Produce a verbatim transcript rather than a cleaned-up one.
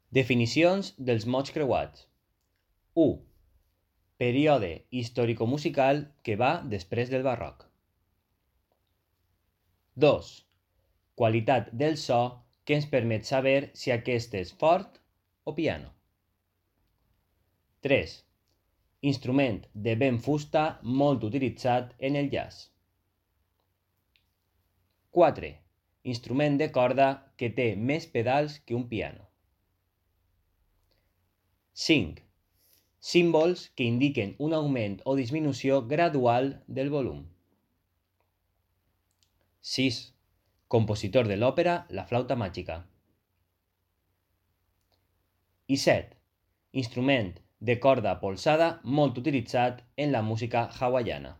Definicions dels mots creuats. u. Període històrico-musical que va després del barroc. dos. Qualitat del so que ens permet saber si aquest és fort o piano. tres. Instrument de vent fusta molt utilitzat en el jazz. quatre. Instrument de corda que té més pedals que un piano. cinc. Símbols que indiquen un augment o disminució gradual del volum. sis. Compositor de l'òpera La flauta màgica. I set. Instrument de corda polsada molt utilitzat en la música hawaiana.